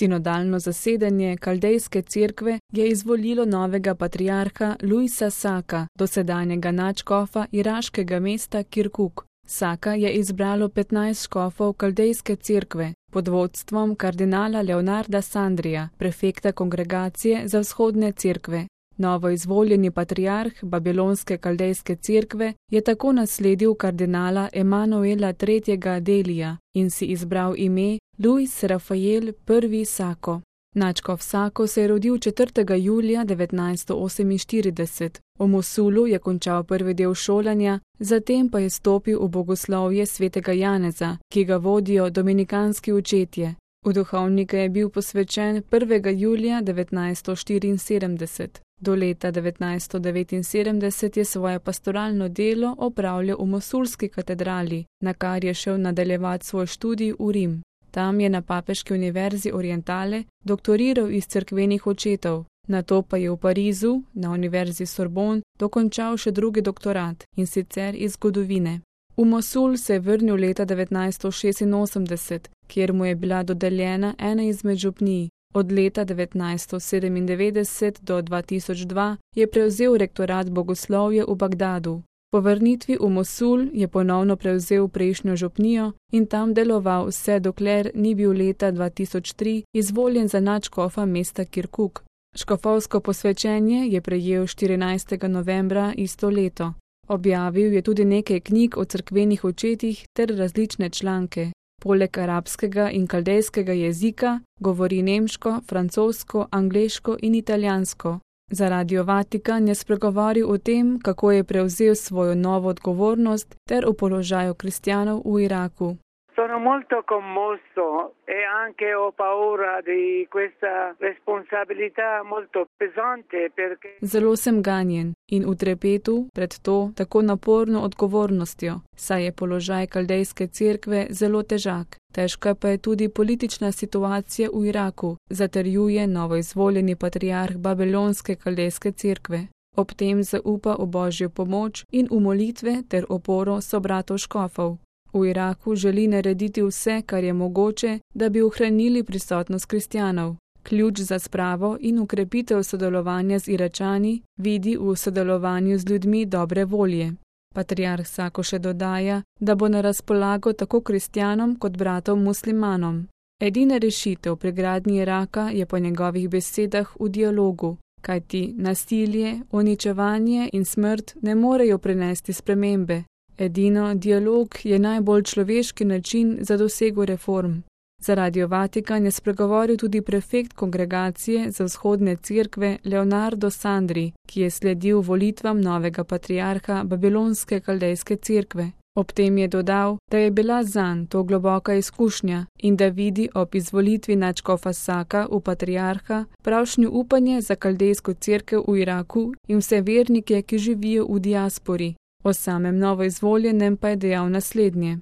Sinodalno zasedanje Kaldejske cerkve je izvolilo novega patriarha Luisa Saka, dosedanjega nadškofa iraškega mesta Kirkuk. Saka je izbralo 15 škofov Kaldejske cerkve pod vodstvom kardinala Leonarda Sandrija, prefekta kongregacije za vzhodne cerkve. Novo izvoljeni patriarh Babilonske Kaldejske cerkve je tako nasledil kardinala Emanuela III. Delija in si izbral ime Luis Rafael I. Sako. Nadškof Sako se je rodil 4. julija 1948. V Mosulu je končal prvi del šolanja, zatem pa je stopil v bogoslovje svetega Janeza, ki ga vodijo dominikanski očetje. V duhovnika je bil posvečen 1. julija 1974. Do leta 1979 je svoje pastoralno delo opravljal v Mosulski katedrali, na kar je šel nadaljevati svoj študij v Rim. Tam je na Papeški univerzi Orientale doktoriral iz cerkvenih očetov, nato pa je v Parizu, na univerzi Sorbonne, dokončal še drugi doktorat, in sicer iz zgodovine. V Mosul se je vrnil leta 1986, kjer mu je bila dodeljena ena izmed župnij. Od leta 1997 do 2002 je prevzel rektorat bogoslovja v Bagdadu. Po vrnitvi v Mosul je ponovno prevzel prejšnjo župnijo in tam deloval vse dokler ni bil leta 2003 izvoljen za nadškofa mesta Kirkuk. Škofovsko posvečenje je prejel 14. novembra isto leto. Objavil je tudi nekaj knjig o cerkvenih očetih ter različne članke. Poleg arabskega in kaldejskega jezika govori nemško, francosko, angleško in italijansko. Za Radio Vatikan je spregovoril o tem, kako je prevzel svojo novo odgovornost ter o položaju kristjanov v Iraku. Sono molto commosso e anche ho paura di questa responsabilità molto pesante perché... Zelo sem ganjen in v trepetu pred to tako naporno odgovornostjo, saj je položaj Kaldejske cerkve zelo težak. Težka pa je tudi politična situacija v Iraku, zatrjuje novoizvoljeni patriarh Babilonske Kaldejske cerkve. Ob tem zaupa v Božjo pomoč in v molitve ter oporo sobratov škofov. V Iraku želi narediti vse, kar je mogoče, da bi ohranili prisotnost kristjanov. Ključ za spravo in ukrepitev sodelovanja z Iračani vidi v sodelovanju z ljudmi dobre volje. Patriarh Sako še dodaja, da bo na razpolago tako kristjanom kot bratom muslimanom. Edina rešitev pri gradnji Iraka je po njegovih besedah v dialogu, kajti nasilje, uničevanje in smrt ne morejo prinesti spremembe. Edino dialog je najbolj človeški način za dosego reform. Za Radio Vatikan je spregovoril tudi prefekt kongregacije za vzhodne cerkve Leonardo Sandri, ki je sledil volitvam novega patriarha Babilonske Kaldejske cerkve. Ob tem je dodal, da je bila zanj to globoka izkušnja in da vidi ob izvolitvi nadškofa Saka v patriarha pravšnjo upanje za Kaldejsko cerkev v Iraku in vse vernike, ki živijo v diaspori. O samem novoizvoljenem pa je dejal naslednje.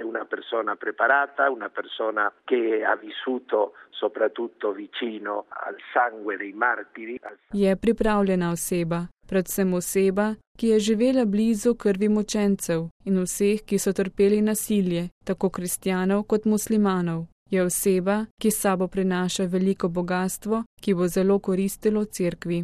Una persona preparata, una persona che ha vissuto soprattutto vicino al sangue dei martiri. Je pripravljena oseba, predvsem oseba, ki je živela blizu krvi mučencev in vseh, ki so trpeli nasilje, tako kristjanov kot muslimanov. Je oseba, ki s sabo prinaša veliko bogastvo, ki bo zelo koristilo cerkvi.